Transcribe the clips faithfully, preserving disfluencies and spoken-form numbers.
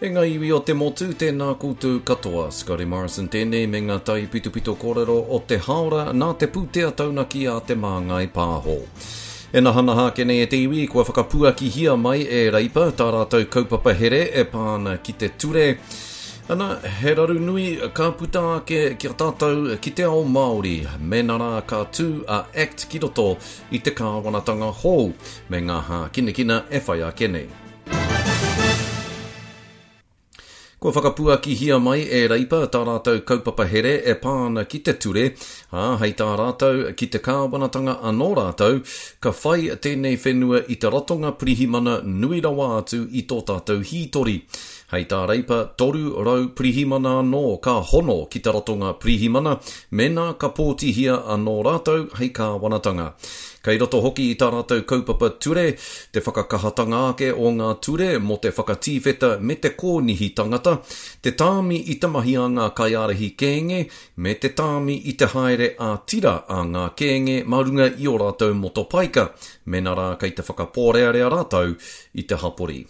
E ngā iwi o te motu, tēnā koutou katoa. Scotty Morrison tēnei me ngā taipitopito kōrero o te haora nā te pūtea taunaki a Te Māngai Pāho. E nahanaha ake nei e te iwi, kua whakapuakihia mai e Reipa tā rātou kaupapa here e pā ana ki te ture. Ana, he raru nui ka puta ake ki a tātou ki te ao Māori, mēnā rā ka tū a ACT ki roto i te kāwanatanga hou, me ngā hākinakina e whai ake nei. Kua whakapuakihia mai e Reipa tā rātou kaupapa here e pā ana ki te ture, ā, hei tā rātou ki te kāwanatanga anō rātou, ka whai tēnei whenua i te ratonga pirihimana nui rawa atu i tō tātou hītori. Hei tā Reipa, toru rau pirihimana anō ka hono ki te ratonga pirihimana, mēnā ka pōtihia anō rātou hei kāwanatanga. Kei roto hoki i tā rātou kaupapa ture, te whakakahatanga ake o ngā ture mō te whakatīwheta me te kōnihi tangata, te tāmi i te mahi a ngā kaiārahi kēnge, me te tāmi i te haere ā-tira a ngā kēnge mā runga i ō rātou motopaika, mēnā rā kei te whakapōrearea rātou i te hapori.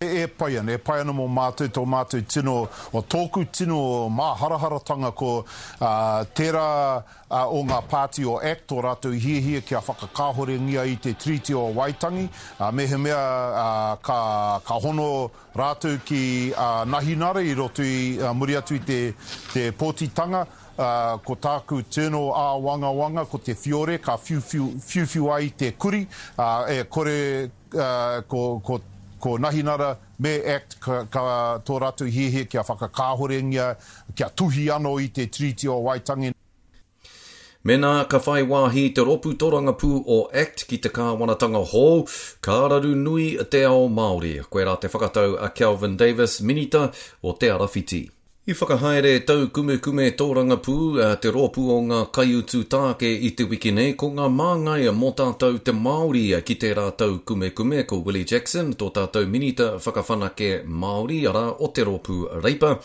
E pai ana, e pai ana mō mātou, tō mātou tino, o tōku tino māharaharatanga ko uh, tērā uh, o ngā pāti o ACT, tō rātou hiahia kia whakakāhorengia i te Tiriti o Waitangi, uh, mehemea uh, ka, ka hono rātou ki uh, Nahinara i roto i uh, muri atu i te, te pōtitanga, Uh, ko tāku tino āwangawanga, ko te whiore, ka whiuwhiu, whiuwhiu ai te kuri, uh, e kore uh, ko, ko ko Nahinara me ACT ka, ka tō rātou hiahia kia whakakāhorengia, kia tuhi anō i te Tiriti o Waitangi. Mēnā ka whai wāhi te rōpū tōrangapū o ACT ki te kāwanatanga hou, ka raru nui te ao Māori. Koirā te whakatau a Kelvin Davis, Minita o Te Arawhiti. I whakahaere taukumekume tōrangapū a te rōpū o ngā kaiutu tāke i te wiki nei, ko ngā māngai mō tātou te Māori ki tērā taukumekume, ko Willie Jackson, tō tātou Minita whakawhanake Māori, arā o te rōpū Reipa,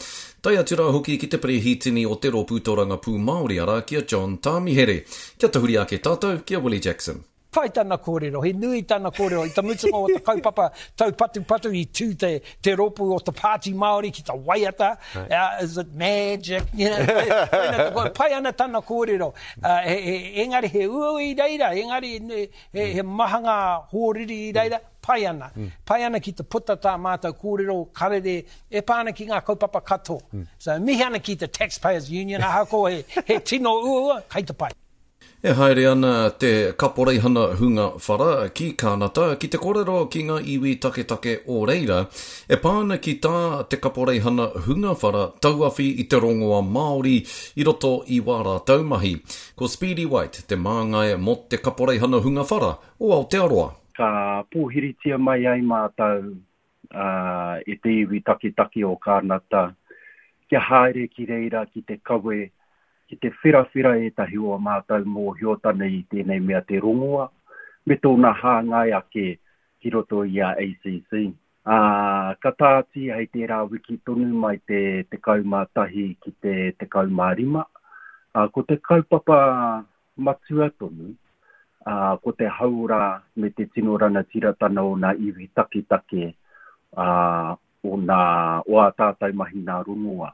tae atu rā hoki ki te perehitini o te rōpū tōrangapū Māori, arā ki a John Tāmihere. Kia tahuri ake tātou ki a Willie Jackson. Pai tana kōrero, he nui tana kōrero, i te mutunga o te kaupapa taupatupatu i tū te, te rōpū o te Pāti Māori ki te waiata, right. uh, is it magic, you know, pai ana tana kōrero, uh, he, he, engari he uaua i reira, engari he, he maha ngā hōriri i reira, pai ana. Mm. Pai ana ki te puta tā mātou kōrero karere e pā ana ki ngā kaupapa katoa. Mm. So, mihi ana ki te Taxpayers Union, ahakoa he, he tino uaua, kei te pai. E haere ana te kaporeihana hunga whara ki Kānata ki te kōrero ki ngā iwi taketake o reira, e pā ana ki tā te kaporeihana hunga whara tauawhi i te rongoa Māori i roto i wā rātou mahi. Ko Speedy White te māngai mō te kaporeihana hunga whara o Aotearoa. Ka pōhiritia mai ai mātou uh, e te iwi taketake o Kānata kia haere ki reira ki te kawe, ki te whirawhira ētahi o mātou mōhiotana i tēnei mea te rongoa, me tōna hāngai ake ki roto i a A C C. Uh, ka tāti hei tērā wiki tonu mai te tekau mā tahi ki te tekau mā rima. Uh, ko te kaupapa matua tonu, uh, ko te hauora me te tino ranatiratana o nā iwi taketake uh, o, nā, o ā tātou mahi nā rongoa.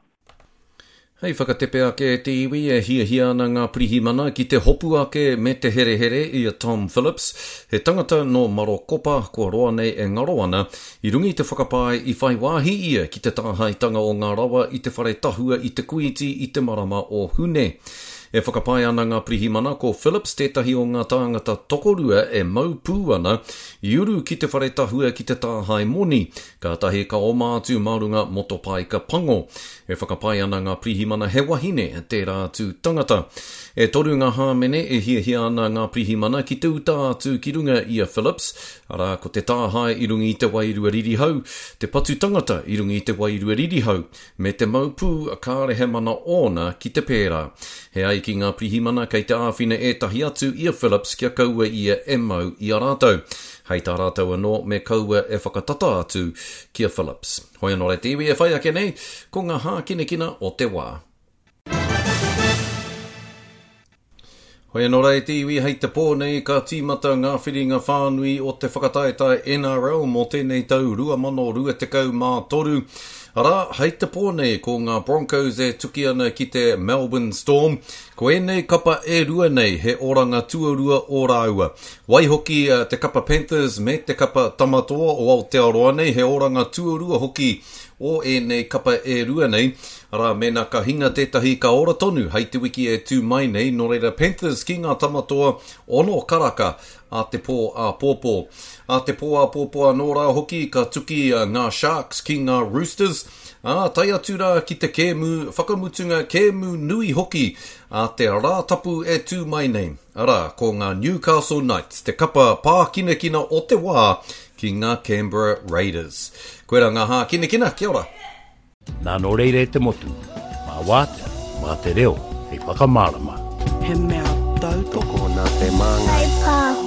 Hei whakatepe ake te iwi e hiahia ana ngā pirihimana ki te hopu ake me te herehere i a Tom Phillips, he tangata nō Marokopa kua roa nei e ngaro ana, i runga i te whakapae i whai wāhi ia ki te tāhaetanga o ngā rawa i te whare tahua i te Kuiti i te marama o Hune. E whakapae ana ngā pirihimana ko Phillips tētahi o ngā tāngata tokorua e mau pū ana i uru ki te whare tahua ki te tāhae moni, kātahi ka oma atu mā runga motopaika pango. E whakapae ana ngā pirihimana he wahine tērā atu tangata. E toru ngā hāmene e hiahia ana ngā pirihimana ki te uta atu ki runga i a Phillips, arā ko te tāhae i runga i te wairua ririhau, te patu tangata i runga i te wairua ririhau, me te mau pū kāre he mana ōna ki te pērā. He ai ki ngā pirihimana kei te āwhina ētahi atu i a Phillips kia kaua ia e mau i a rātou. Hei tā rātou anō me kaua e whakatata atu ki a Phillips. Hoi anō rei te iwi e whai ake nei, ko ngā hākinakina o te wā. Hoi anō rā e te iwi, hei te pō nei ka tīmata ngā whiringa whānui o te whakataetae N R L mō tēnei tau rua mano rua tekau mā toru. Arā, hei te pō nei ko ngā Broncos e tuki ana ki te Melbourne Storm. Ko ēnei kapa e rua nei he oranga tuarua o rāua. Waihoki te kapa Panthers me te kapa Tamatoa o Aotearoa nei he oranga tuarua hoki o ēnei kapa e rua nei. Arā, mēnā ka hinga tētahi ka ora tonu hei te wiki e tū mai nei, nō reira Panthers ki ngā Tamatoa ono karaka a te pō āpōpō. A te pō āpōpō anō rā hoki ka tuki ngā Sharks ki ngā Roosters, ā, tae atu rā ki te kēmu whakamutunga kēmu nui hoki a te Rātapu e tū mai nei. Arā, ko ngā Newcastle Knights, te kapa pākinakina o te wā ki ngā Canberra Raiders. Koe rā ngā hākinakina, kia ora. Nā nō reira e te motu, mā wātea, mā te reo, hei whakamārama. He mea tautoko nā te māngai. Hei pāho.